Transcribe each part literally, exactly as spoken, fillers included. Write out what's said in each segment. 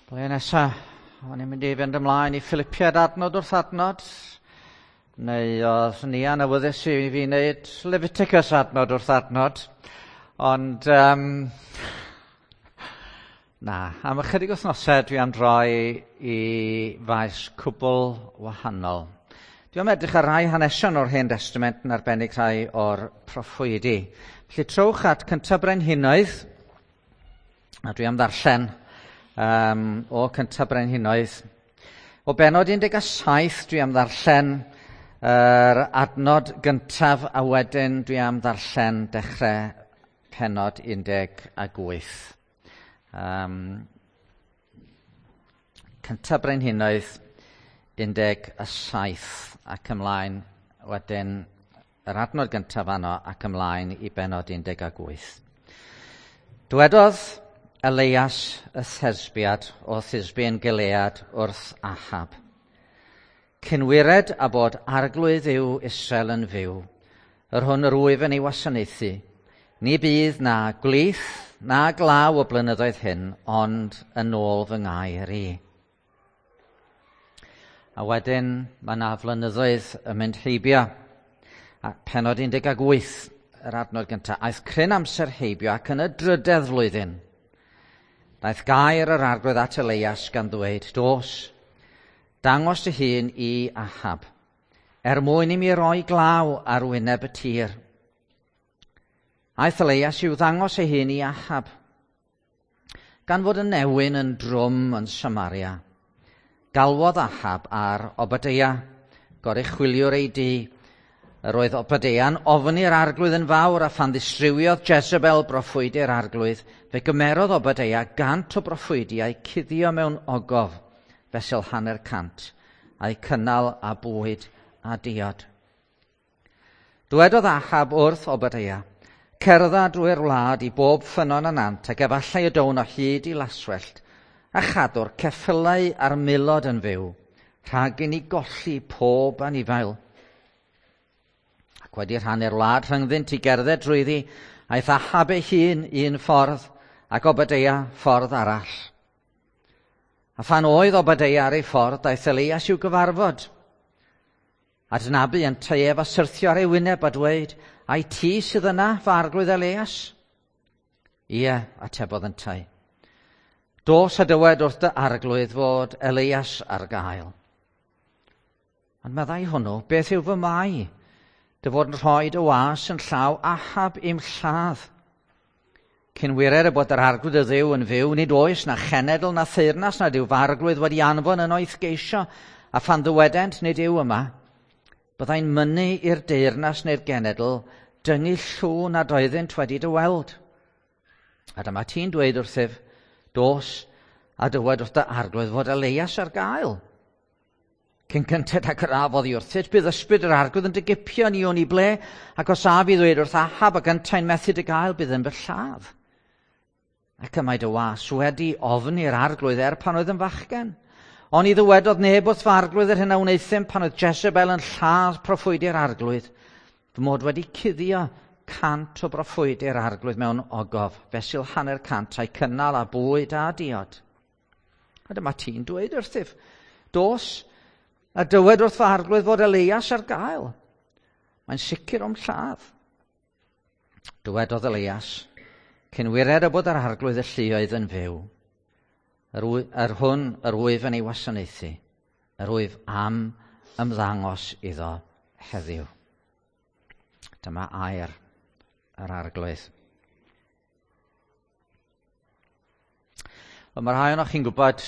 Blwyddyn nesa, o'n i'n mynd i fynd ymlaen i Philipiad adnod wrth adnod, neu oedd Nia'n awyddus i fi wneud Leviticus adnod wrth adnod, ond um, na, am ychydig wythnosau dwi am droi i faes cwbl wahanol. Dwi am edrych ar rai hanesion o'r Hen Testament yn arbennig rhai o'r proffwydi. Felly trowch at Cyntaf Brenhinoedd, a dwi am ddarllen um, o Cyntaf Brenhinoedd. O benod un deg saith dwi am ddarllen yr adnod gyntaf a wedyn dwi am ddarllen dechrau penod un deg wyth. Um, Cyntaf Brenhinoedd un deg saith ac ymlaen wedyn yr adnod gyntaf fanno ac ymlaen i benod un deg wyth. Dywedodd Elias y Thesbiad o Thisbe yn Gilead wrth Ahab. Cynwired a bod arglwydd yw Israel yn fyw, yr hwn yr wyf yn ei wasanaethu. Ni bydd na gwlith na glaw o blynyddoedd hyn, ond yn ôl fy ngair i. A wedyn mae na flynyddoedd yn mynd heibio. A penod un deg wyth, yr adnod gyntaf, aeth cryn amser heibio ac yn y drydedd flwyddyn. Daeth gair yr arglwydd at Elias gan ddweud, dos, dangos dy hun i Ahab, er mwyn i mi roi glaw ar wyneb y tir. Aeth Elias i'w ddangos ei hun i Ahab, gan fod y newyn yn drwm yn Samaria. Galwodd Ahab ar Obadeia, goruchwyliwr ei dŷ. Yr oedd Obadeia'n ofni yr arglwydd yn fawr, a phan ddistrywiodd Jezebel broffwydi'r arglwydd, fe gymerodd Obadeia gant o broffwydiau cuddio mewn ogof, fesul hanner cant, a'u cynnal a bwyd a diod. Dywedodd Ahab wrth Obadeia, cerdda drwy'r wlad i bob ffynnon a nant, ac efallai y down o hyd i laswellt, a chadw'r ceffylau a'r milod yn fyw, rhag i ni golli pob anifail. Ac wedi rhannu'r wlad rhyngddynt i gerdded drwyddi, aeth Ahab ei hun un ffordd ac Obadeia ffordd arall. A phan oedd Obadeia ar ei ffordd, daeth Elias i'w gyfarfod. A dynabu yntau ef a syrthio ar ei wyneb a dweud, ai ti sydd yna, fy arglwydd Elias? Ie, atebodd yntau. Dos a dywed wrth dy arglwydd fod Elias ar gael. Ond meddai hwnnw, beth yw fy mai? Dy fod yn rhoi dy was yn llaw Ahab i'm lladd. Cynwirer y bod yr arglwydd y Dduw yn fyw, nid oes na chenedl na theyrnas nad yw fy arglwydd wedi anfon yno i'th geisio, a phan ddywedent nid yw yma, byddai'n mynnu i'r deyrnas neu'r genedl dyngu llw nad oeddynt wedi dy weld. A dyma ti'n dweud wrthyf, dos a dywed wrth dy arglwydd fod Elias ar gael. Cyn cynted ac yr af oddi wrthyt, bydd ysbryd yr arglwydd yn dy gipio ni o'n i ble, ac os af i ddweud wrth Ahab ac yntau'n methu dy gael, bydd yn fy lladd. Ac y mae dy was wedi ofni'r arglwydd er pan oedd yn fachgen. Oni ddywedodd neb wrth fy arglwydd yr hyn a wneuthum pan oedd Jezebel yn lladd proffwydi'r arglwydd, fy mod wedi cuddio cant o broffwydi'r arglwydd mewn ogof, fesul hanner cant a'i cynnal a bwyd a diod. A dyma ti'n dweud wrthyf, dos, a dywed wrth fy arglwydd fod Elias ar gael. Mae'n sicr o'm lladd. Dywedodd Elias, cynwired y bod yr arglwydd y lluoedd yn fyw, yr, yr hwn yr wyf yn ei wasanaethu, yr wyf am ymddangos iddo heddiw. Dyma air yr arglwydd. Wel, mae rhai ohonoch chi'n gwybod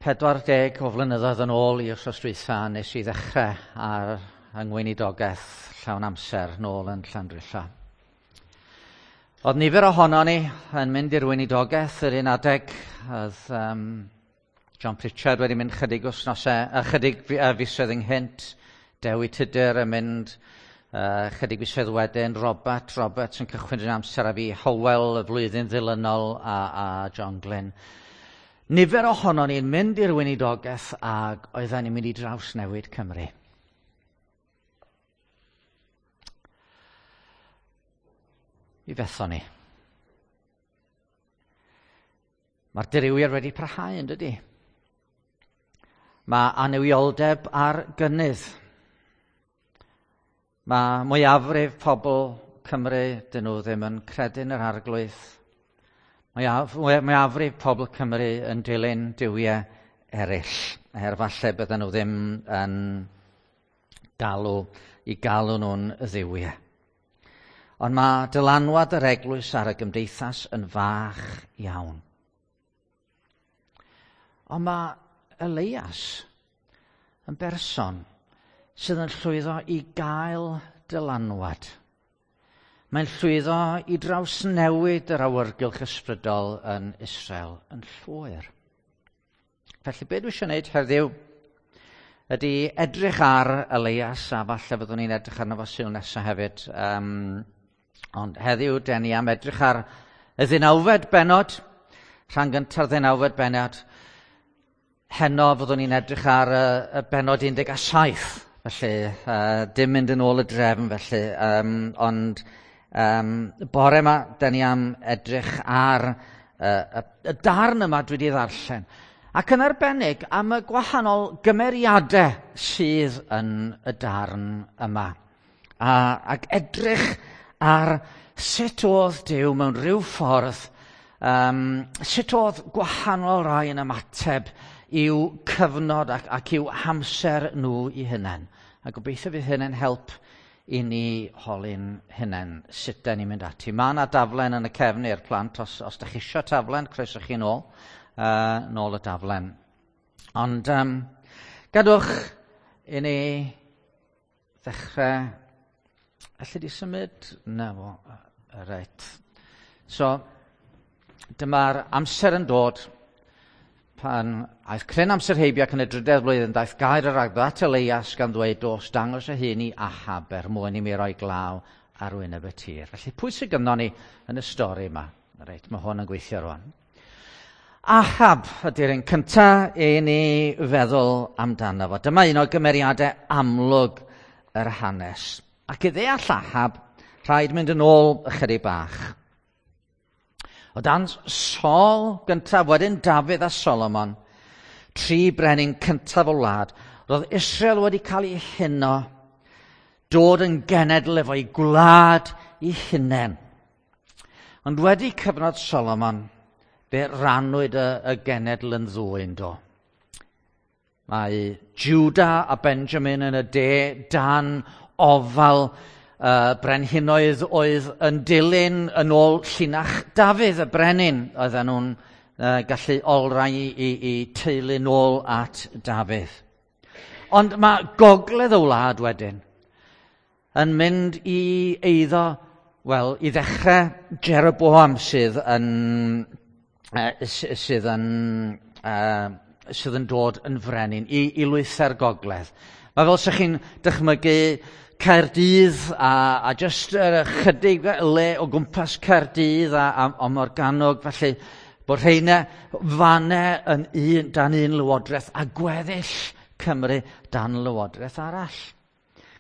pedwar deg o flynyddoedd yn ôl i wythnos dwytha nes i ddechrau ar yng ngweinidogaeth llawn amser nôl yn Llandrillo. Oedd nifer ohono ni yn mynd i'r weinidogaeth yr un adeg. Oedd um, John Pritchard wedi mynd chydig wythnosau, ychydig fisoedd ynghynt, Dewi Tudur yn mynd uh, chydig fisoedd wedyn, Robert Roberts yn cychwyn yn amser a fi, Howell y flwyddyn ddilynol a, a John Glyn. Nifer ohono ni'n mynd i'r weinidogaeth ac oedden ni'n mynd i drawsnewid Cymru. Mi fethon ni. Mae'r dirywiad wedi parhau, yn dydy? Mae annuwioldeb ar gynnydd. Mae mwyafrif pobl Cymru, dyn nhw ddim yn credu'n yr Arglwydd. Mae mwyafrif pobl Cymru yn dilyn duwiau eraill, er falle bydden nhw ddim yn galw i galw nhw'n dduwiau. Ond mae dylanwad yr eglwys ar y gymdeithas yn fach iawn. Ond mae Elias yn berson sydd yn llwyddo i gael dylanwad. Mae'n llwyddo i drawsnewid yr awyrgylch ysbrydol yn Israel yn llwyr. Felly be dwi eisiau gwneud heddiw ydy edrych ar Elias, a falle fyddwn ni'n edrych arno fo Sul nesaf hefyd. Um, ond heddiw, den ni am edrych ar y ddeunawfed bennod, rhan gynta'r ddeunawfed bennod. Heno fyddwn ni'n edrych ar y, y bennod un deg saith, felly uh, dim mynd yn ôl y drefn felly, um, ond um, bore yma, den ni am edrych ar uh, y, y darn yma dwi wedi ddarllen. Ac yn arbennig am y gwahanol gymeriadau sydd yn y darn yma. A, ac edrych ar sut oedd Duw mewn rhyw ffordd, um, sut oedd gwahanol rai yn ymateb i'w cyfnod ac, ac i'w hamser nhw i hunain. A gobeithio fydd hyn yn help i ni holi'n hunain sut da ni'n mynd ati. Mae yna daflen yn y cefn i'r plant. Os, os da chi isio taflen, croeso chi nôl. Uh, nôl y daflen. Ond um, gadwch i ni ddechrau. Alli di symud? Na fo. Reit. So, dyma'r amser yn dod pan aeth cryn amser heibio ac yn y drydedd flwyddyn daeth gair yr Arglwydd at Elias gan ddweud, dos, dangos y hun i Ahab er mwyn i mi roi glaw ar wyneb y tir. Felly, pwy sydd gynnon ni yn y stori yma? Reit, mae hwn yn gweithio rwan. Ahab ydy'r un cyntaf i ni feddwl amdano fo. Dyma un o gymeriadau amlwg yr hanes. Ac i ddeall Ahab, rhaid mynd yn ôl ychydig bach. O dan Saul gyntaf, wedyn Dafydd a Solomon, tri brenin cyntaf o wlad, roedd Israel wedi cael ei huno, dod yn genedl efo'i gwlad ei hunain. Ond wedi cyfnod Solomon, fe rannwyd y, y genedl yn ddwy yn do. Mae Judah a Benjamin yn y de dan ofal uh, brenhinoedd oedd yn dilyn yn ôl llinach Dafydd y brenin. Oedden nhw'n uh, gallu olrhain i, i, i teulu nôl at Dafydd. Ond mae gogledd y wlad wedyn yn mynd i eiddo, wel, i ddechrau Jeroboam sydd yn sydd yn, uh, sydd yn dod yn frenin i, i lwythau'r gogledd. Mae fel sa'ch chi'n dychmygu Caerdydd a, a jyst yr ychydig le o gwmpas Caerdydd a, a, a Morgannwg, felly bod rheina fanne yn un, dan un lywodraeth a gweddill Cymru dan lywodraeth arall.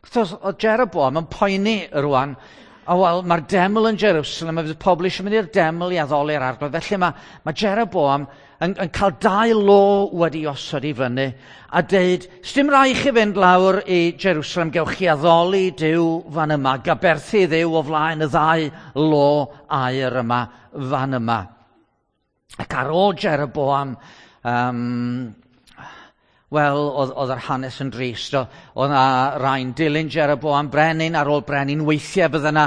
Wrth oedd Jeroboam yn poeni rwan, a wel, mae'r deml yn Jerusalem, a fydd pobl eisiau mynd i'r deml i addoli'r Arglwydd. Felly mae, mae Jeroboam yn, yn cael dau lo wedi osod i fyny a deud, sdim rhaid chi fynd lawr i Jerusalem, gewch chi addoli Duw fan yma, gaberthu Dduw o flaen y ddau lo aur yma fan yma. Ac ar ôl Jeroboam, um, wel, oedd, oedd yr hanes yn drist. Oedd yna rai'n dilyn Jeroboam brenin ar ôl brenin. Weithiau bydde yna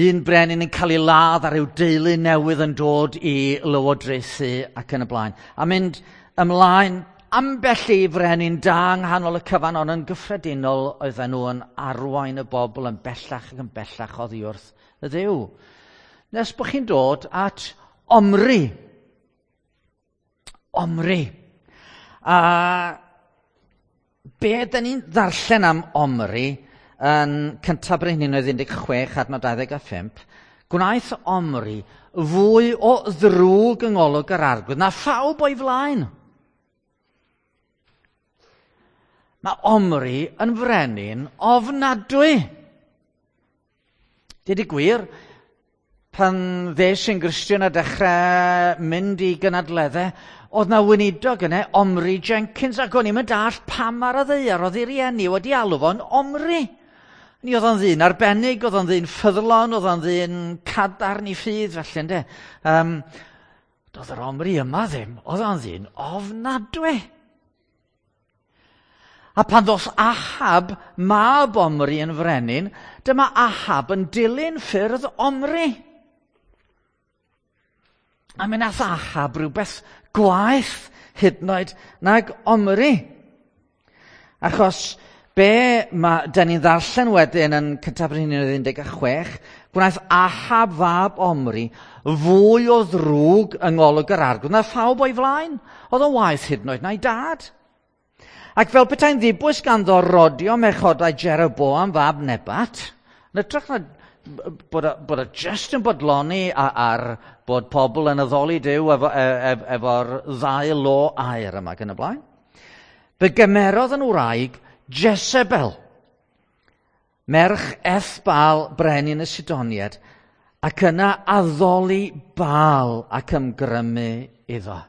un brenin yn cael ei ladd ar ryw deulu newydd yn dod i lywodraethu ac yn y blaen. A mynd ymlaen ambell i frenin da yng nghanol y cyfan, ond yn gyffredinol oedden nhw yn arwain y bobl yn bellach ac yn bellach oddi wrth y Dduw. Nes bod chi'n dod at Omri. Omri. A be dyn ni'n ddarllen am Omri yn cyntaf Brenhinoedd un deg chwech adnod dau ddeg a phump, gwnaeth Omri fwy o ddrwg yng ngolwg yr Arglwydd na phawb o'i flaen. Mae Omri yn frenin ofnadwy. Dweud y gwir, Pan ddes i'n Gristion a dechrau mynd i gynadleddau, oedd na weinidog yna, Omri Jenkins, ac o'n i'm yn dallt pam ar y ddaear oedd ei rieni wedi alw fo'n Omri. Ni oedd o'n ddyn arbennig, oedd o'n ddyn ffyddlon, oedd o'n ddyn cadarn i ffydd, felly, ynde. Um, doedd yr Omri yma ddim, oedd o'n ddyn ofnadwy. A pan ddoth Ahab, mab Omri yn frenin, dyma Ahab yn dilyn ffyrdd Omri. A mi nath Ahab rhywbeth gwaeth hyd yn oed nag Omri. Achos be ma, da ni'n ddarllen wedyn yn Cyntaf Brenhinoedd un deg chwech, gwnaeth Ahab fab Omri fwy o ddrwg yng ngolwg yr Arglwydd na phawb o'i flaen. Oedd o'n waeth hyd yn oed na'i dad. Ac fel petai'n ddibwys ganddo rodio merchodau Jeroboam fab Nebat, yn hytrach na bod o, bod o just yn bodloni ar bod pobl yn addoli Duw efo, ef, efo'r ddau lo aur yma gan y blaen. Fe gymerodd yn wraig Jezebel, merch Ethbaal brenin y Sidoniaid, ac yna addoli Baal ac ymgrymu iddo.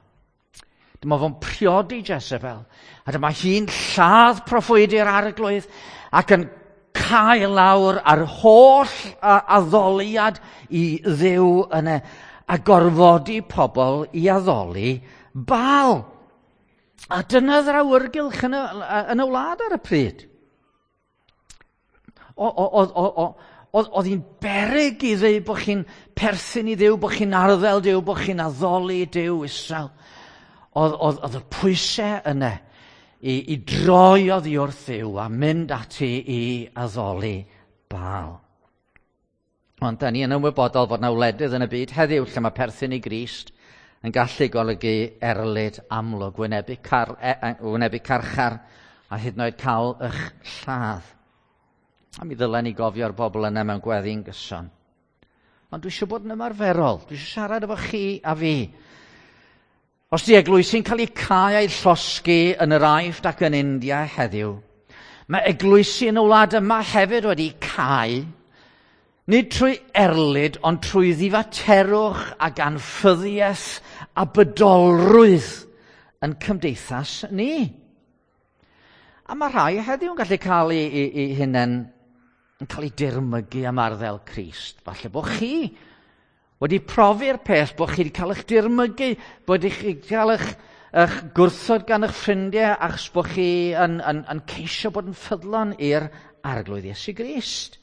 Dyma fo'n priodi Jezebel, a dyma hi'n lladd proffwydi'r Arglwydd ac yn cael lawr ar holl addoliad i Dduw yna, a gorfodi pobl i addoli Baal. A dyna yr awyrgylch yn y, yn y wlad ar y pryd. Oedd hi'n beryg i ddweud bod chi'n perthyn i Dduw, bod chi'n arddel Duw, bod chi'n addoli Duw Israel. Oedd, oedd, oedd y pwysau yna i, i droi oddi wrth Dduw a mynd ati i addoli Baal. Ond da ni yn ymwybodol fod na wledydd yn y byd heddiw lle mae perthyn i Grist yn gallu golygu erlid amlwg, wynebu, car, e, wynebu carchar a hyd yn oed cael eich lladd. A mi ddylen ni gofio'r bobl yna mewn gweddi'n gyson. Ond dwi eisiau bod yn ymarferol. Dwi eisiau siarad efo chi a fi. Os di eglwysi'n cael eu cau a'u llosgi yn yr Aifft ac yn India heddiw, mae eglwysi yn y wlad yma hefyd wedi cau, nid trwy erlid, ond trwy ddifaterwch ac anffyddiaeth a bydolrwydd yn cymdeithas ni. A mae rhai heddiw yn gallu cael eu, eu, eu hunain yn cael eu dirmygu am arddel Crist. Falle bod chi wedi profi'r peth bod chi wedi cael eich dirmygu, bod chi wedi cael eich, eich gwrthod gan eich ffrindiau achos bod chi yn, yn, yn ceisio bod yn ffyddlon i'r Arglwydd Iesu Grist.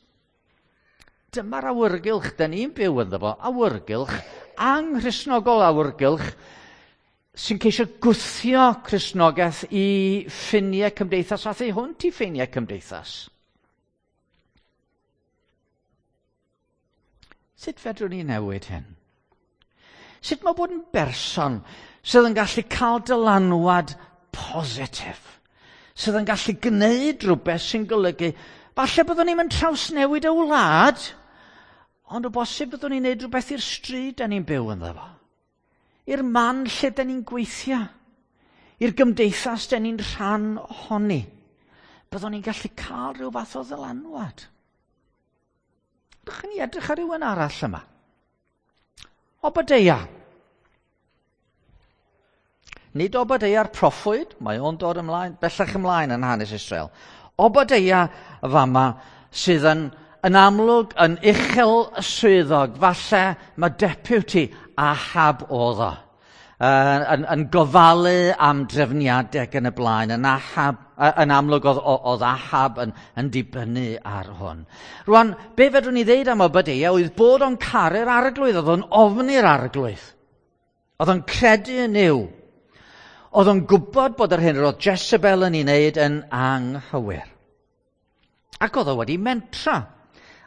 Dyma'r awyrgylch da ni'n byw ynddo fo, awyrgylch anghristnogol, awyrgylch sy'n ceisio gwthio Cristnogaeth i ffiniau cymdeithas a thu hwnt i ffiniau cymdeithas. Sut fedrwn ni newid hyn? Sut mae bod yn berson sydd yn gallu cael dylanwad positif, sydd yn gallu gwneud rhywbeth sy'n golygu, falle byddwn ni'n mynd trawsnewid y wlad, ond o bosib byddwn ni'n gwneud rhywbeth i'r stryd da ni'n byw ynddo fo, i'r man lle da ni'n gweithio, i'r gymdeithas da ni'n rhan ohoni. Byddwn ni'n gallu cael rhyw fath o ddylanwad. Dych ni edrych ar rhywun arall yma. Obadeia. Nid Obadeia'r proffwyd, mae o'n dod ymlaen, bellach ymlaen yn hanes Israel. Obadeia fama sydd yn, yn amlwg yn uchel swyddog, falle mae deputy Ahab oedd o. Yn, yn, yn gofalu am drefniadau ac yn y blaen, yn, Ahab, yn amlwg oedd, oedd Ahab yn, yn dibynnu ar hwn. Rwan, be fedrwn ni ddeud am Obadeia oedd bod o'n caru'r Arglwydd, oedd o'n ofni'r Arglwydd. Oedd o'n credu yn Nuw. Oedd o'n gwybod bod yr hyn roedd Jezebel yn ei wneud yn anghywir. Ac oedd o wedi mentra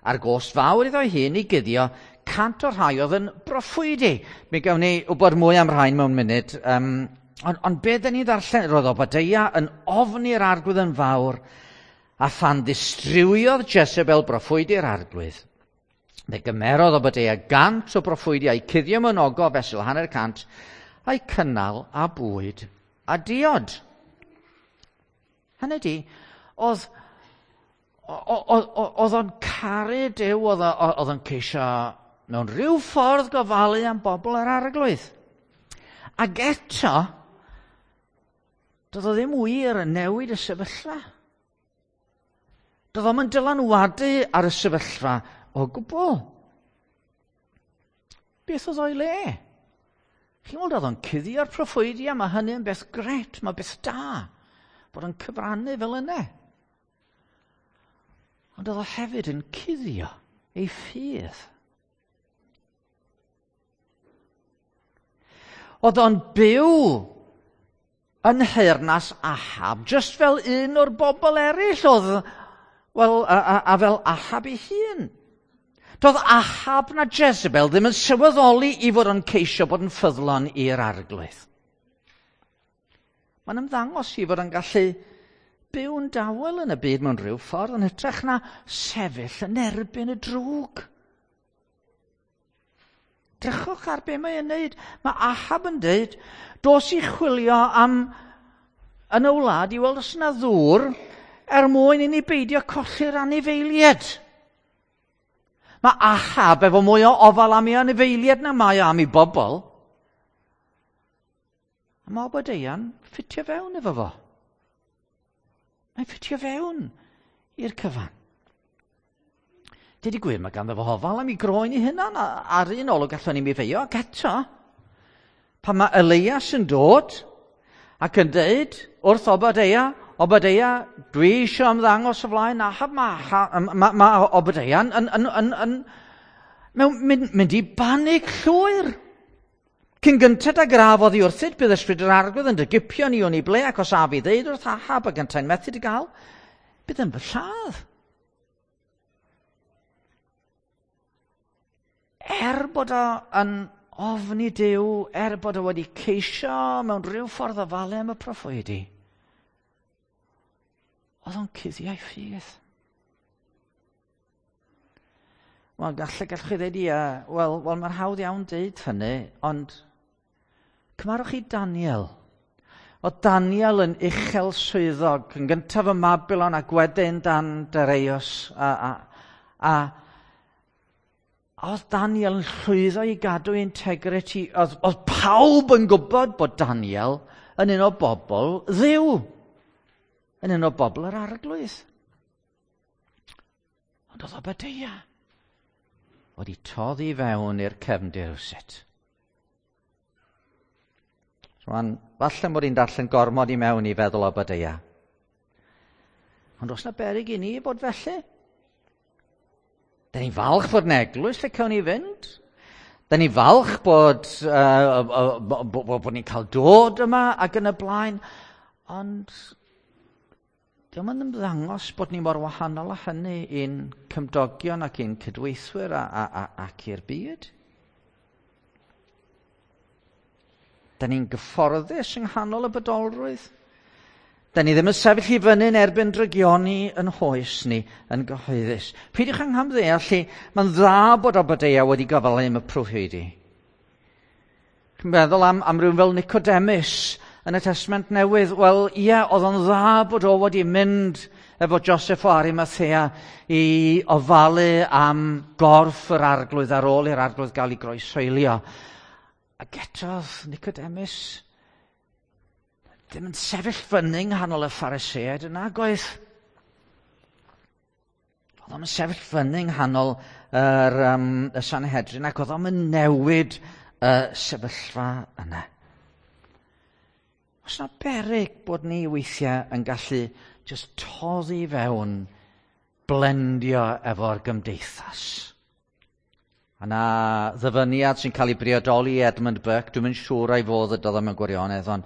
ar gost fawr iddo'i hun i guddio cant o'r rhai oedd yn broffwydi. Mi gawn ni wybod mwy am rhain mewn munud. Um, ond, ond be dyn ni ddarllen, roedd Obadeia yn ofni'r Arglwydd yn fawr, a phan ddistrywiodd Jezebel broffwydi'r Arglwydd, fe gymerodd Obadeia gant o broffwydi a'i cuddio mewn ogof fesul hanner cant, a'i cynnal a bwyd a diod. Hynny di, oedd oedd o'n caru Duw, oedd o'n ceisio mewn rhyw ffordd gofalu am bobl yr Arglwydd. Ac eto, doedd o ddim wir yn newid y sefyllfa. Doedd o'm yn dylanwadu ar y sefyllfa o gwbl. Beth oedd o'i le? Chi'n weld, oedd o'n cuddio'r proffwydi, a mae hynny'n beth gret, mae beth da, bod o'n cyfrannu fel yna. Ond oedd o hefyd yn cuddio ei ffydd. Oedd o'n byw yn nheyrnas Ahab, just fel un o'r bobl eraill oedd, wel, a, a, a fel Ahab ei hun. Doedd Ahab na Jezebel ddim yn sylweddoli i fod o'n ceisio bod yn ffyddlon i'r Arglwydd. Mae'n ymddangos i fod yn gallu byw'n dawel yn y byd mewn rhyw ffordd yn hytrach na sefyll yn erbyn y drwg. Drychwch ar be mae'n neud. Mae Ahab yn dweud, dos i chwilio am yn y wlad i weld os yna ddŵr er mwyn i ni beidio colli'r anifeiliaid. Mae Ahab efo mwy o ofal am ei anifeiliaid na mae o am ei bobl. A mae Obadeia'n ffitio fewn efo fo. Mae'n ffitio fewn i'r cyfan. Deud y gwir, mae ganddo fo ofal am ei groen ei hunan, ar un olwg gallwn ni'm ei feio, ac eto, pan mae Elias yn dod ac yn deud wrth Obadeia, Obadeia, dwi eisiau ymddangos o flaen Ahab, mae ma, ma Obadeia'n yn, yn, yn, yn, mewn, mynd, mynd i banig llwyr. Cyn gynted ag yr af oddi wrthyd, bydd ysbryd yr Arglwydd yn dy gipio ni o'n i ble, ac os af i ddeud wrth Ahab ac yntau'n methu dy gael, bydd yn fy lladd. Er bod o yn ofni Duw, er bod o wedi ceisio mewn rhyw ffordd ofalu am y proffwydi, oedd o'n cuddio'i ffydd. Wel, gallai, gallwch chi ddweud, ia, wel, wel mae'n hawdd iawn deud hynny, ond cymarwch chi Daniel. Oedd Daniel yn uchel swyddog, yn gyntaf ym Mabilon ac wedyn dan Dareios, a, a, a oedd Daniel yn llwyddo i gadw integrity. Oedd, oedd pawb yn gwybod bod Daniel yn un o bobl Dduw, yn un o bobl yr Arglwydd. Ond oedd Obadeia wedi toddi fewn i'r cefndir rywsut. Rwan, falle mod i'n darllen gormod i mewn i feddwl Obadeia. Ond oes na beryg i ni bod felly? Da ni'n falch bod yn eglwys lle cawn ni fynd. Da ni'n falch bod, uh, bod, bod ni'n cael dod yma ac yn y blaen. Ond dio'm yn ymddangos bod ni mor wahanol â hynny i'n cymdogion ac i'n cydweithwyr a, a, a, ac i'r byd. Da ni'n gyfforddus yng nghanol y bodolrwydd. Da ni ddim yn sefyll i fyny yn erbyn drygioni yn hoes ni yn gyhoeddus. Peidiwch anghamddeall i, mae'n dda bod Obadeia wedi gofalu am y proffwydi. Chi'n meddwl am, am rhywun fel Nicodemus yn y Testament Newydd? Wel, ie, oedd o'n dda bod o wedi mynd efo Joseph o Arimathea i ofalu am gorff yr Arglwydd ar ôl i'r Arglwydd gael ei groeshoelio. Ac eto Nicodemus ddim yn sefyll fyny yng nghanol y Phariseaid yn nagoedd. Oedd o'n sefyll fyny yng nghanol yr, um, y Sanhedrin ac oedd o'n newid y sefyllfa yna. Oes na beryg bod ni weithiau yn gallu just toddi fewn, blendio efo'r gymdeithas. A na ddyfyniad sy'n cael ei briodoli i Edmund Burke, dwi'm yn siŵr ai fo ddydodd o mewn gwirionedd, ond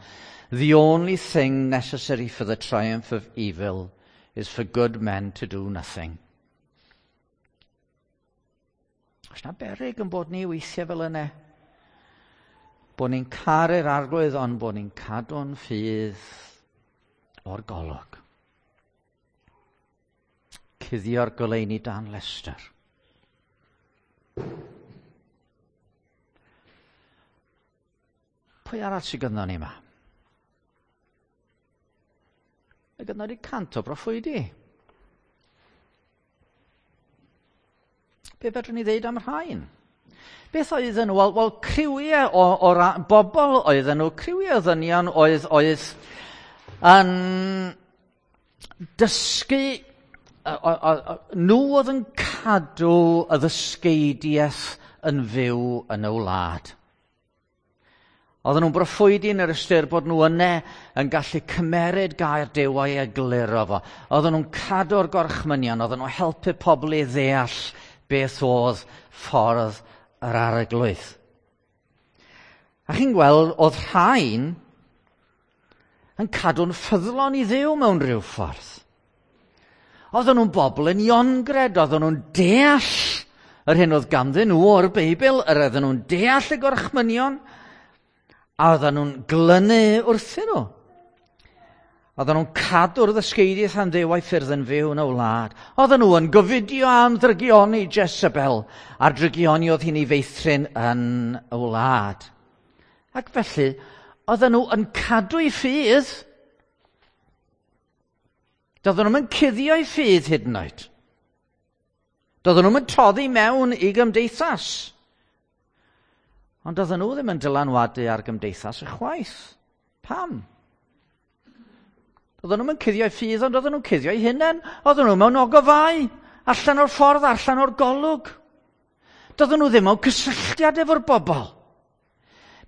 the only thing necessary for the triumph of evil is for good men to do nothing. Oes na beryg yn bod ni weithiau fel yna? Bod ni'n caru'r Arglwydd, ond bod ni'n cadw'n ffydd o'r golwg. Cuddio'r goleuni dan lestr. Pwy arall sydd gynnon ni yma? Mae gynnon ni cant o broffwydi. Be fedrwn ni ddeud am rhain? Beth oedden nhw? Wel, wel criwiau o, o ra, bobl oedden nhw, criwiau o ddynion oedd, oedd yn dysgu, o, o, o, nhw oedd yn cadw y ddysgeidiaeth yn fyw yn y wlad. Oedden nhw'n broffwydi yn yr ystyr bod nhw yne yn gallu cymeryd gair Duw a'i egluro fo. Oedden nhw'n cadw'r gorchmynion, oedden nhw'n helpu pobl i ddeall beth oedd ffordd yr arglwydd. A chi'n gweld, oedd rhain yn cadw'n ffyddlon i Dduw mewn rhyw ffordd. Oedden nhw'n bobl yn iongred, oedden nhw'n deall yr hyn oedd ganddyn nhw o'r Beibl, yr oedden nhw'n deall y gorchmynion, a oedden nhw'n glynu wrthyn nhw. Oedden nhw'n cadw'r ddysgeidiaeth am Dduw a'i ffyrdd yn fyw yn y wlad. Oedden nhw yn gofidio am ddrygioni Jezebel, a'r drygioni oedd hi'n ei feithrin yn y wlad. Ac felly, oedden nhw yn cadw'i ffydd. Doedden nhw'n cuddio'i ffydd hyd yn oed. Doedden nhw'n toddi mewn i gymdeithas. Ond doedden nhw ddim yn dylanwadu ar gymdeithas ychwaith. Pam? Oedden nhw'n cuddio'i ffydd, ond oedden nhw'n cuddio'i hunain. Oedden nhw mewn ogofau, allan o'r ffordd, allan o'r golwg. Doedden nhw ddim mewn cysylltiad efo'r bobl.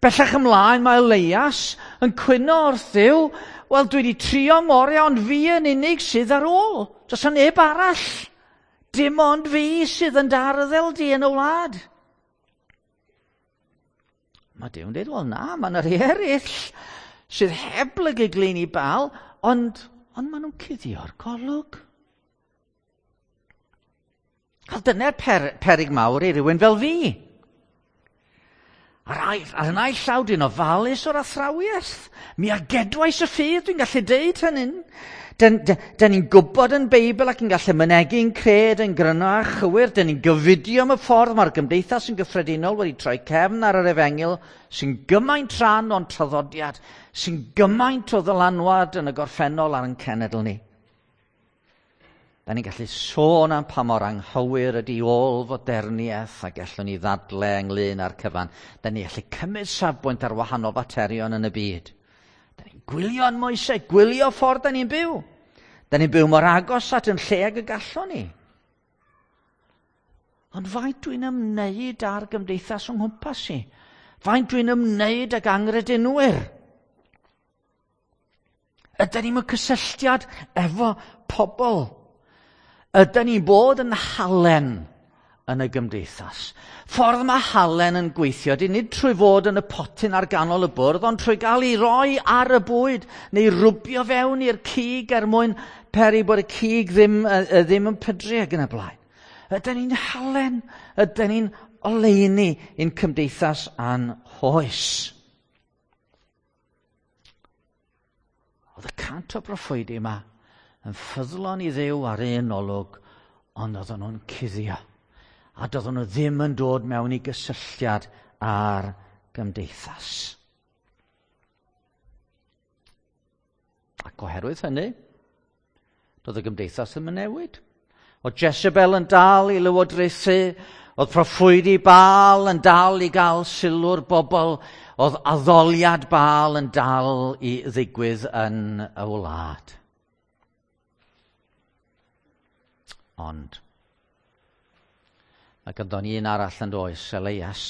Bellach ymlaen mae Elias yn cwyno wrth Dduw, wel dwi wedi trio ngorau, ond fi yn unig sydd ar ôl. Does 'na neb arall. Dim ond fi sydd yn d'arddel di yn y wlad. Mae Duw'n dweud, wel na, mae yna rhai eraill sydd heb blygu glin i Baal, ond, ond maen nhw'n cuddio'r golwg. A dyna'r per, perig mawr i rywun fel fi. Ar, ar y naill llaw dwi'n ofalus o'r athrawiaeth. Mi a gedwais y ffydd, dwi'n gallu deud hynny. Dyn, dyn, dyn ni'n gwybod yn Beibl ac yn gallu mynegi'n cred yn gryno a chywir. Dyn ni'n gofidio am y ffordd mae'r gymdeithas yn gyffredinol wedi troi cefn ar yr efengyl sy'n gymaint rhan o'n traddodiad, sy'n gymaint o ddylanwad yn y gorffennol ar ein cenedl ni. Da ni'n gallu sôn am pa mor anghywir ydy ôl-foderniaeth a gallwn ni ddadle ynglyn â'r cyfan. Da ni'n gallu cymryd safbwynt ar wahanol faterion yn y byd. Da ni'n gwylio yn moesau, gwylio ffordd da ni'n byw. Da ni'n byw mor agos at yn lle ag y gallwn ni. Ond faint dwi'n ymwneud â'r gymdeithas o'n nghwmpas i? Faint dwi'n ymwneud ag angredinwyr? Ydyn ni'n mewn cysylltiad efo pobl? Ydyn ni'n bod yn halen yn y gymdeithas? Ffordd mae halen yn gweithio, di nid trwy fod yn y potyn ar ganol y bwrdd, ond trwy gael ei roi ar y bwyd, neu rwbio fewn i'r cig er mwyn peri bod y cig ddim, ddim yn pydru ac yn y blaen. Ydyn ni'n halen? Ydyn ni'n oleuni i'n cymdeithas a'n hoes? Oedd y cant o broffwydi yma yn ffyddlon i Dduw ar un olwg, ond oedden nhw'n cuddio. A doedden nhw ddim yn dod mewn i gysylltiad â'r gymdeithas. Ac oherwydd hynny, doedd y gymdeithas ddim yn newid. Oedd Jezebel yn dal i lywodraethu, oedd proffwydi Baal yn dal i gael sylw'r bobl, oedd addoliad Baal yn dal i ddigwydd yn y wlad. Ond, mae ganddo ni un arall yn does, Elias.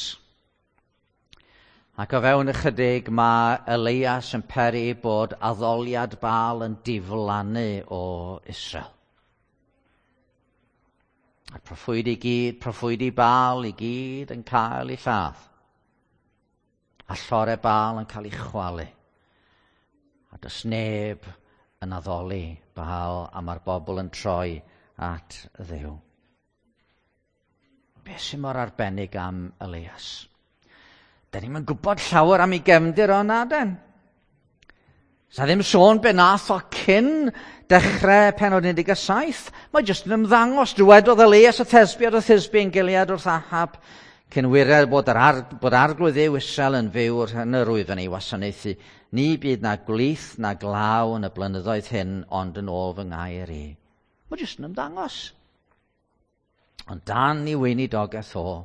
Ac o fewn ychydig mae Elias yn peri bod addoliad Baal yn diflannu o Israel. A'r proffwydi gyd, proffwydi Baal i gyd yn cael ei lladd. A llore Baal yn cael ei chwalu. A does neb yn addoli Baal, a mae'r bobl yn troi at Dduw. Be sy'n mor arbennig am Elias? Da ni'm yn gwybod llawer am ei gefndir o na den. Sa ddim sôn be nath o cyn dechrau pennod un deg saith. Mae jyst yn ymddangos. Dywedodd Elias y Thesbiad o Thisbe yn Gilead wrth Ahab, cyn wired bod, yr ar, bod arglwydd Dduw Israel yn fyw wrth yn yr wyf yn ei wasanaethu. Ni byd na gwlith na glaw yn y blynyddoedd hyn, ond yn ôl fy ngair i. Mae jyst yn ymddangos. Ond dan i weinidogaeth o,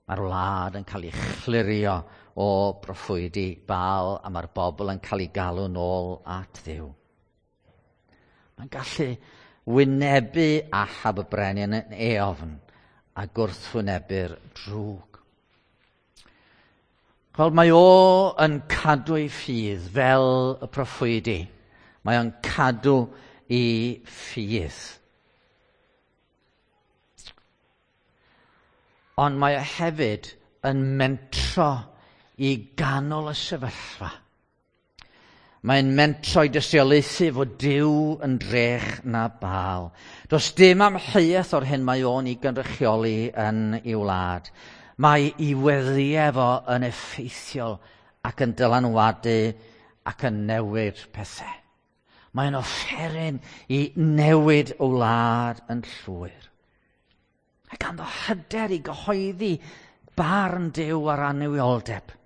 Mae'r wlad yn cael ei chlirio o broffwydi Baal a mae'r bobl yn cael ei galw nôl at Dduw. Mae'n gallu wynebu Ahab y brenin yn eofn a gwrthwynebu'r drwg. Wel, mae o yn cadw ei ffydd fel y proffwydi. Mae o'n cadw ei ffydd. Ond mae o hefyd yn mentro i ganol y sefyllfa. Mae'n mentro i dystiolaethu fod Duw yn drech na Baal. Does dim amheuaeth o'r hyn mae o'n ei gynrychioli yn ei wlad. Mae ei weddïau fo yn effeithiol ac yn dylanwadu ac yn newid pethau. Mae'n offeryn i newid y wlad yn llwyr. A ganddo hyder i gyhoeddi barn Duw ar annuwioldeb.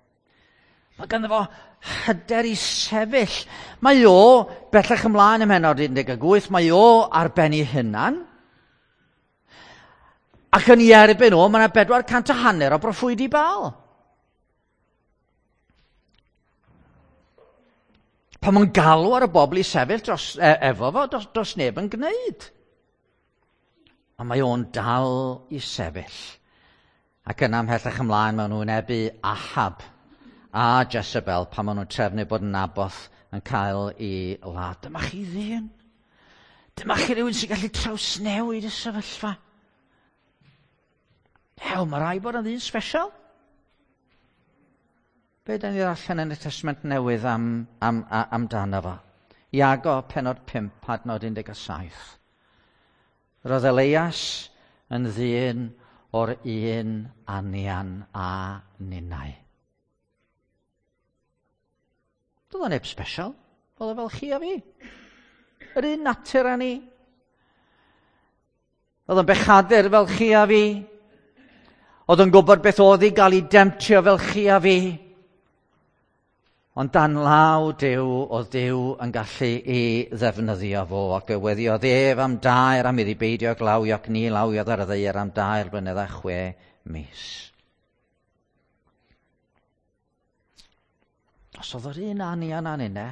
Mae ganddo fo hyder i sefyll. Mae o, bellach ymlaen ym mhennod un deg wyth, mae o ar ben ei hunan. Ac yn ei erbyn o, mae yna bedwar cant a hanner o broffwydi Baal. Pan mae'n galw ar y bobl i sefyll dros, e, efo fo, dos, dos neb yn gwneud. A mae o'n dal i sefyll. Ac yna ymhellach ymlaen, maen nhw'n wynebu Ahab a Jezebel pan maen nhw'n trefnu bod Naboth yn cael ei ladd. Dyma chi ddyn. Dyma chi rywun sy'n gallu trawsnewid y sefyllfa. Ew, mae rai bod yn ddyn special. Be da ni ddarllen yn y Testament Newydd am, am, am, amdano fo? Iago, pennod pump, adnod un deg saith. Roedd Elias yn ddyn o'r un anian a ninnau. Doedd o neb special, oedd o fel chi a fi. Yr un natur â ni. Oedd o'n bechadur fel chi a fi. Oedd o'n gwybod beth oedd i gael ei demtio fel chi a fi. Ond dan law Duw, oedd Duw yn gallu ei ddefnyddio fo, ac y weddiodd ef am dair am iddi beidio glawio ac ni lawiodd ar y ddaear am dair blynedd a chwe mis. Os oedd yr un anian â ninne,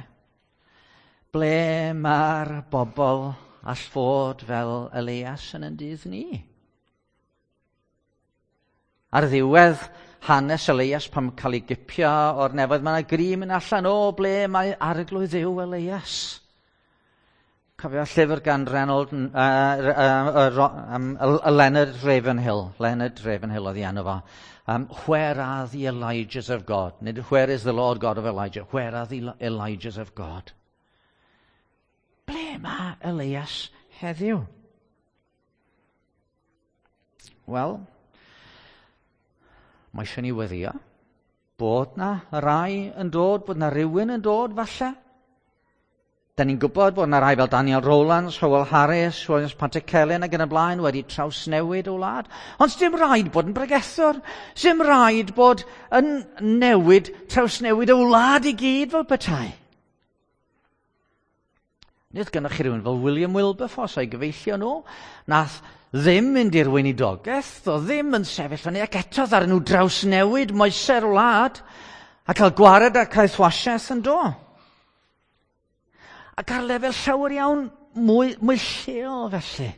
ble mae'r bobl all fod fel Elias yn ein dydd ni? Ar ddiwedd hanes Elias pan cael ei gipio o'r nefoedd, mae yna gri mynd allan o ble mae arglwydd Dduw Elias. Cofio llyfr gan Reynold, uh, uh, uh, um, Leonard Ravenhill. Leonard Ravenhill oedd ei enw fo. Um, where are the Elijahs of God? Nid where is the Lord God of Elijah? Where are the Elijahs of God? Ble mae Elias heddiw? Wel, mae eisiau ni weddio bod na rai yn dod, bod na rhywun yn dod falle. Da ni'n gwybod bod na rai fel Daniel Rowlands, Howell Harris, Williams Pantycelyn ac yn y blaen wedi trawsnewid o wlad. Ond dim rhaid bod yn bregethwr. Dim rhaid bod yn newid, trawsnewid o wlad i gyd fel petai. Nid gynnwch chi rhywun fel William Wilberforce a'i gyfeillio nhw. Nath ddim mynd i'r weinidogaeth, o ddim yn sefyll fyny, ac eto ddaru nhw drawsnewid moesau'r wlad a cael gwared ar caethwasiaeth yn do. Ac ar lefel llawer iawn mwy, mwy lleol felly.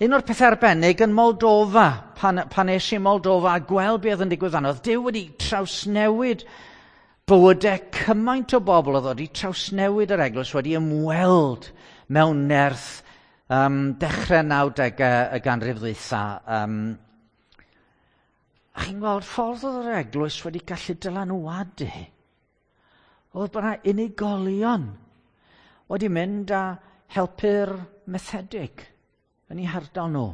Un o'r pethau arbennig yn Moldova, pan, pan es i Moldova a gweld beth oedd yn digwydd fanno, oedd Duw wedi trawsnewid bywydau cymaint o bobl oedd wedi trawsnewid yr eglwys, wedi ymweld mewn nerth um, dechrau nawdegau y ganrif ddwytha. Um, a chi'n gweld ffordd oedd yr eglwys wedi gallu dylanwadu. Oedd bod yna unigolion wedi mynd a helpu'r methedig yn eu hardal nhw.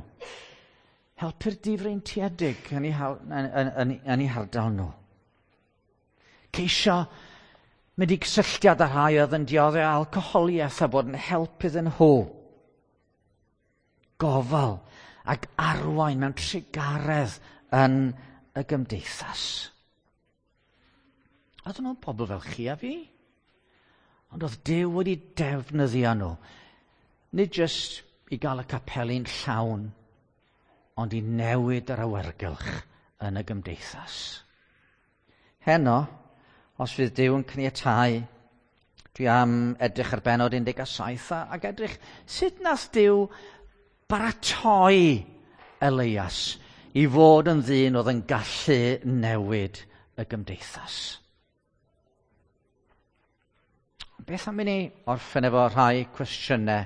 Helpu'r difreintiedig yn eu, yn, yn, yn, yn eu hardal nhw. Ceisio mynd i gysylltiad â rhai oedd yn dioddef alcoholiaeth a bod yn help iddyn nhw. Gofal ac arwain mewn trugaredd yn y gymdeithas. Oedden nhw'n pobl fel chi a fi. Ond oedd Duw wedi defnyddio nhw. Nid jyst i gael y capeli'n llawn, ond i newid yr awyrgylch yn y gymdeithas. Heno, os fydd Duw yn caniatáu, dwi am edrych ar bennod un deg saith ac edrych sut nath Duw baratoi Elias i fod yn ddyn oedd yn gallu newid y gymdeithas. Beth am i ni orffen efo rhai cwestiynau?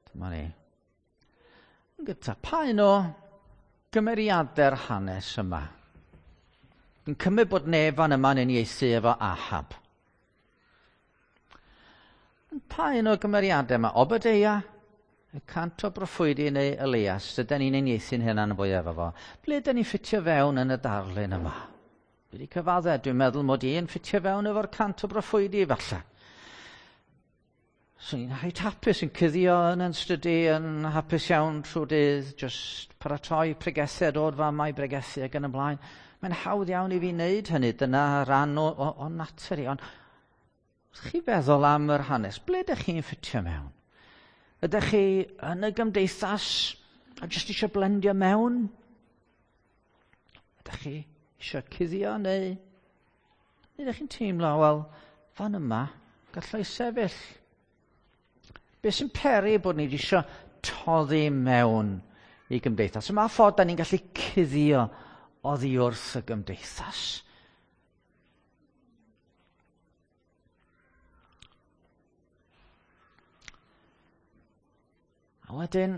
Dyma ni. Yn gyntaf, pa un o gymeriadau'r hanes yma? Yn cymryd bod neb fan yma'n uniaethu efo Ahab. Pa un o gymeriadau yma? Obadeia, y cant o broffwydi neu Elias, dydyn ni'n uniaethu'n hynna'n fwy efo fo. Ble dyn ni'n ffitio fewn yn y darlun yma? Dwi wedi cyfadde, dwi'n meddwl mod i'n ffitio fewn efo'r cant o broffwydi falle. So ni'n reit hapus yn cuddio yn yn stydi, yn hapus iawn trwy dydd, just paratoi pregethau, dod fama i bregethu ac yn y blaen. Mae'n hawdd iawn i fi wneud hynny, dyna rhan o, o, o natur i. Ond wrth chi feddwl am yr hanes, ble ydych chi'n ffitio mewn? Ydych chi yn y gymdeithas a jyst eisiau blendio mewn? Ydych chi eisiau cuddio neu? Neu ydych chi'n teimlo, wel, fan yma, gallai sefyll. Be sy'n peri bod ni eisiau toddi mewn i gymdeithas? Yma ffordd da ni'n gallu cuddio oddi wrth y gymdeithas. A wedyn,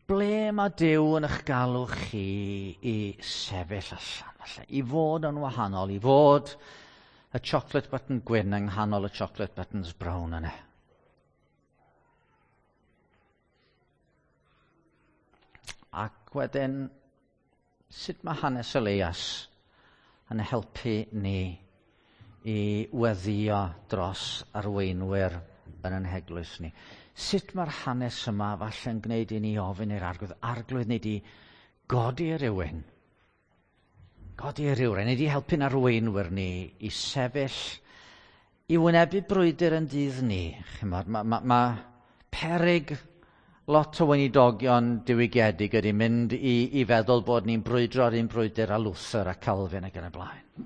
ble mae Duw yn eich galw chi i sefyll allan, falle, i fod yn wahanol, i fod y chocolate button gwyn yng nghanol y chocolate buttons brown yna? Ac wedyn, sut mae hanes Elias yn helpu ni i weddïo dros arweinwyr yn ein heglwys ni? Sut mae'r hanes yma falle'n gwneud i ni ofyn i'r Arglwydd? Arglwydd, ni di godi rhywun. Godi rhywun. Ni di helpu'n arweinwyr ni i sefyll, i wynebu brwydr yn dydd ni. Chimod, mae ma, ma peryg lot o weinidogion diwygiedig ydy mynd i, i feddwl bod ni'n brwydro yr un brwydr a Luther a Calvin ac yn y blaen.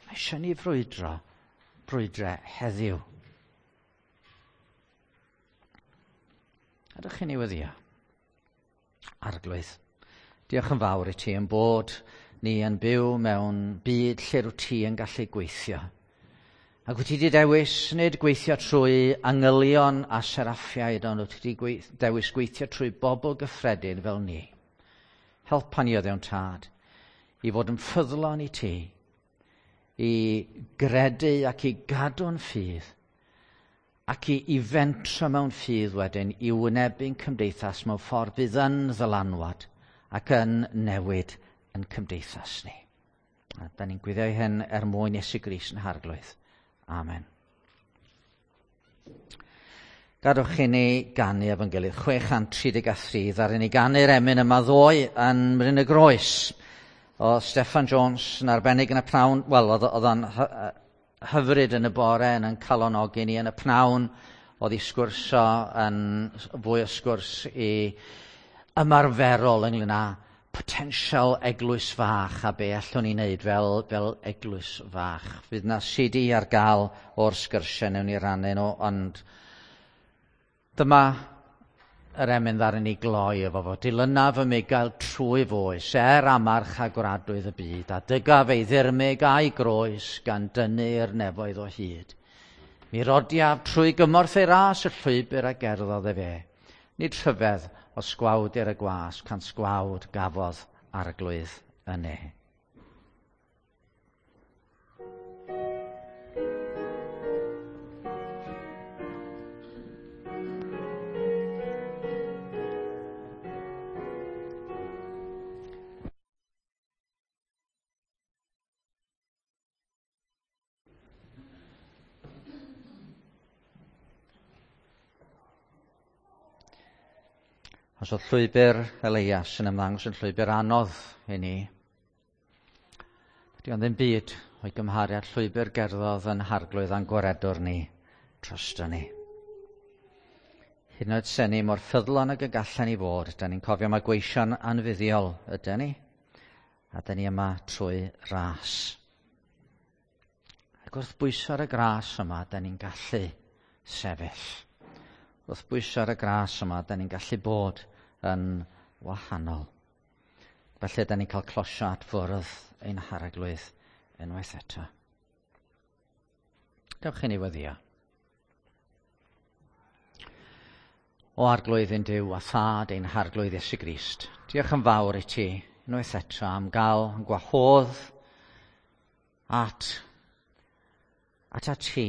Mae eisiau ni frwydro brwydrau heddiw. Ydych chi'n ei weddio? Arglwydd, diolch yn fawr i ti yn bod ni yn byw mewn byd lle rwyt ti yn gallu gweithio. Ac wyt ti wedi dewis nid gweithio trwy angylion a seraffiaid, ond wyt ti wedi dewis gweithio trwy bobl gyffredin fel ni. Helpa ni o Dduw Tad i fod yn ffyddlon i ti, i gredu ac i gadw'n ffydd, ac i, i fentro mewn ffydd wedyn i wynebu'n cymdeithas mewn ffordd fydd yn ddylanwad ac yn newid yn cymdeithas ni. A da ni'n gwyddio hyn er mwyn Iesu Grist yn Harglwydd. Amen. Gadwch i ni ganu efo'n gilydd. chwe chant tri deg a thri, ddaru ni ganu'r emyn yma ddoe yn Mryn y Groes. O Steffan Jones yn arbennig yn y pnawn, wel, oedd o'n hyfryd yn y bore yn yn calonogi ni yn y pnawn, oedd i sgwrsio yn fwy o sgwrs i ymarferol ynglyn â potensial eglwys fach a be allwn ni wneud fel, fel eglwys fach. Fydd na C D ar gael o'r sgyrsiau newn ni rannu nhw, ond dyma yr emyn ddaru ni gloi efo fo. Dilynaf y migael trwy foes, er amarch a gwradwydd y byd, a dygaf ei ddirmyg a'i groes gan dynnu'r nefoedd o hyd. Mi rodiaf trwy gymorth ei ras y llwybr a gerddodd efe. Nid rhyfedd o sgwawd i'r y gwas, can sgwawd gafodd Arglwydd y ne. Os oedd llwybr Elias yn ymddangos yn llwybr anodd i ni, Di ond ddim byd o'i gymharu â'r llwybr gerddodd yn harglwydd a'n gwaredwr ni drosto ni. Hyd yn oed sen ni mor ffyddlon ag y gallen ni fod, da ni'n cofio mae gweision anfuddiol ydy ni, a da ni yma trwy ras. Ac wrth bwyso ar y gras yma, da ni'n gallu sefyll. Wrth bwyso ar y gras yma, da ni'n gallu bod yn wahanol. Felly, da ni'n cael closio at fwrdd ein harglwydd unwaith eto. Dewch i ni weddïo. O Arglwydd ein Duw a Thad ein Harglwydd Iesu Grist, diolch yn fawr i ti unwaith eto am gael yn gwahodd at, at at ti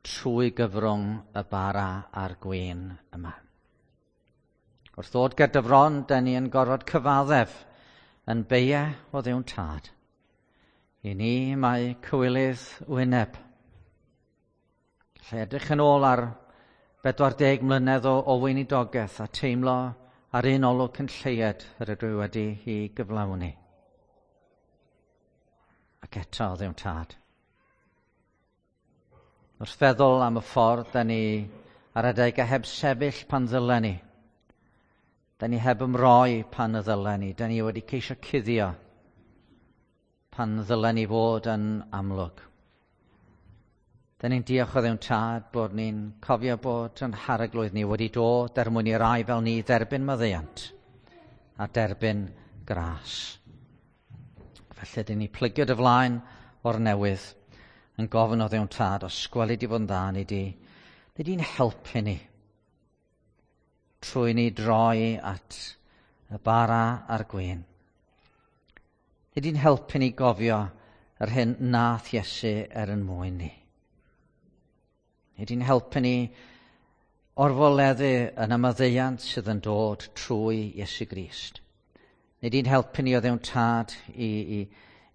trwy gyfrwng y bara a'r gwin yma. Wrth ddod ger dy fron, da ni yn gorfod cyfaddef yn beie o Dduw'n Tad. I ni mae cywilydd wyneb. Lle edrych yn ôl ar bedwar deg mlynedd o, o weinidogaeth a teimlo ar un olwg cyn lleied yr ydw i wedi i gyflawni. Ac eto, Dduw'n Tad. Wrth feddwl am y ffordd da ni ar adegau heb sefyll pan ddylen ni. Da ni heb ymroi pan y ddylen ni. Da ni wedi ceisio cuddio pan ddylen ni fod yn amlwg. Da ni'n diolch o Dduw'n Tad bod ni'n cofio bod yn harglwydd ni wedi dod er mwyn i rai fel ni dderbyn maddeuant a derbyn gras. Felly, dyn ni plygio dy flaen o'r newydd yn gofyn o Dduw'n Tad, os gweli di fod yn dda, ni di, ni di'n helpu ni trwy ni droi at y bara a'r gwin. Ni di'n helpu ni gofio yr hyn nath Iesu er yn mwyn ni. Ni di'n helpu ni orfoleddu yn y maddeuant sydd yn dod trwy Iesu Grist. Ni di'n helpu ni o Dduw'n Tad i, i,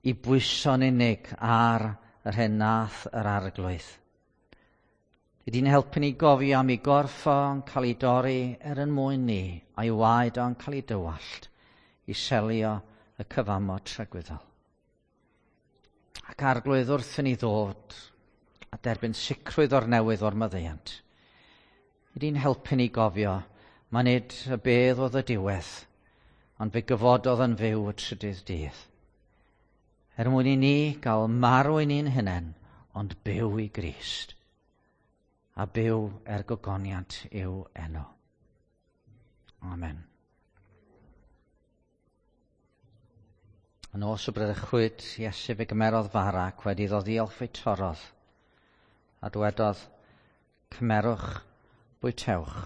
i bwyso'n unig ar yr hyn nath yr arglwydd. Ni di'n helpu ni gofio am ei gorff o'n cael ei dorri er yn mwyn ni, a'i waed o'n cael ei dywallt i selio y cyfamod tragwyddol. Ac arglwydd wrth i ni ddod a derbyn sicrwydd o'r newydd o'r maddeuant. Ni di'n helpu ni gofio, mae nid y bedd oedd y diwedd, ond fe gyfododd yn fyw y trydydd dydd. Er mwyn i ni gael marw i ni'n hunain, ond byw i Grist, a byw er gogoniant i'w enw. Amen. Yn nos y bradychwyd, Iesu fe gymerodd fara ac wedi iddo ddiolch fe torrodd, a dywedodd, cymerwch, bwytewch,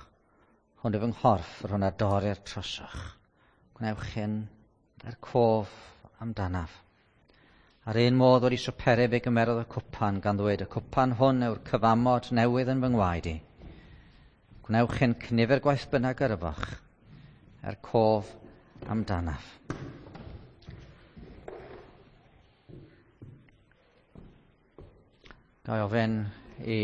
hwn yw fy nghorff, yr hwn a dorrir trosoch. Gwnewch hyn er cof amdanaf. Ar un modd wedi swperu fe gymerodd y cwpan gan ddweud, y cwpan hwn yw'r cyfamod newydd yn fy ngwaed i. Gwnewch hyn cynifer gwaith bynnag yr yfoch, er cof amdanaf. Ga i ofyn i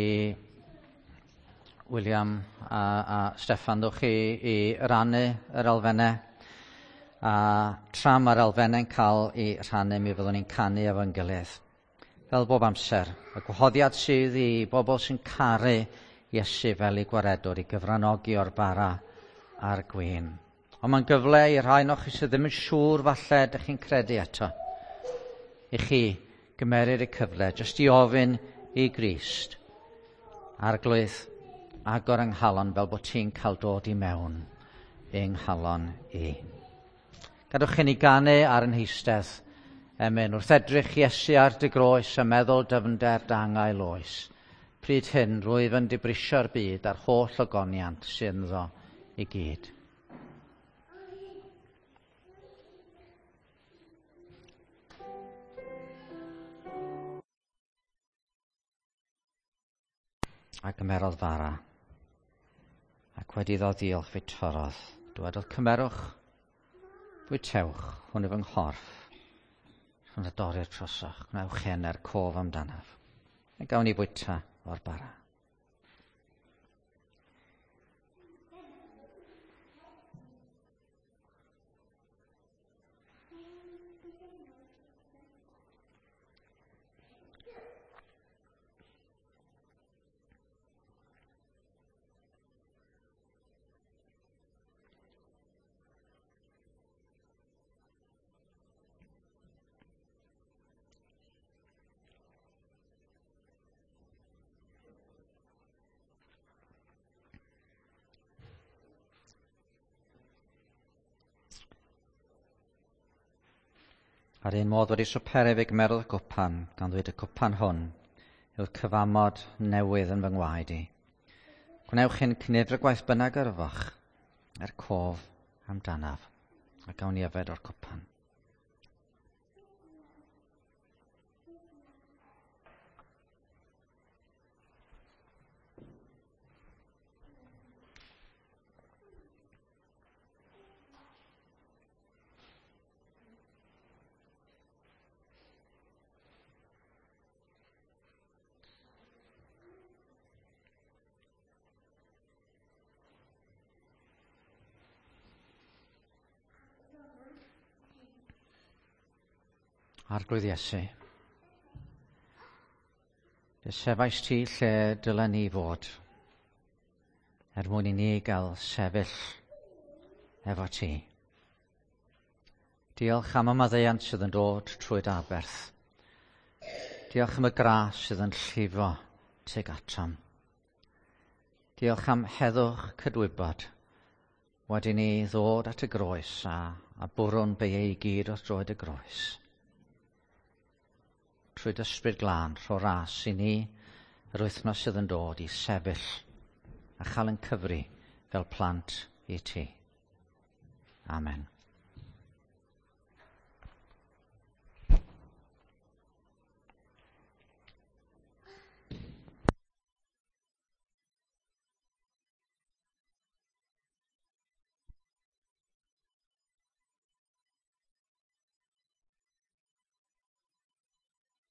William a, a Steffan, ddwch chi i rannu yr elfennau. A tra mae'r elfennau'n cael ei rhannu, mi fyddwn ni'n canu efo'n gilydd. Fel bob amser, y gwahoddiad sydd i bobl sy'n caru Iesu fel ei gwaredwr i gyfranogi o'r bara a'r gwin. Ond mae'n gyfle i rhai o'ch chi sydd ddim yn siŵr falle ydych chi'n credu eto. I chi gymerir y cyfle, jyst i ofyn i Grist, Arglwydd, agor yng nghalon fel bod ti'n cael dod i mewn yng nghalon i. Gadwch i ni ganu ar yn heistedd, emyn, wrth edrych Iesu ar dy groes a meddwl dyfnder dangail oes. Pryd hyn, rwyf yn dibrisio'r byd a'r holl ogoniant sydd ynddo i gyd. A gymerodd fara, ac wedi iddo ddiolch fe torrodd. Dywedodd, cymerwch, bwytewch, hwn yw fy nghorff, hwn a dorrir trosoch, gwnewch hyn er cof amdanaf. A gawn ni fwyta o'r bara. A'r un modd wedi swperu fe gymerodd y cwpan, gan ddweud y cwpan hwn yw'r cyfamod newydd yn fy ngwaed i. Gwnewch hyn cynefr y gwaith bynnag yr yfoch, er cof amdanaf, a gawn ni yfed o'r cwpan. Arglwydd Iesu, fe sefais ti lle dylen ni fod, er mwyn i ni gael sefyll efo ti. Diolch am y maddeuant sydd yn dod trwy dy aberth. Diolch am y gras sydd yn llifo tuag atom. Diolch am heddwch cydwybod wedi ni ddod at y groes a, a bwrw'n beiau i gyd wrth droed y groes. Trwy dy ysbryd glân, rho ras i ni yr wythnos sydd yn dod i sefyll a chael yn cyfri fel plant i ti. Amen.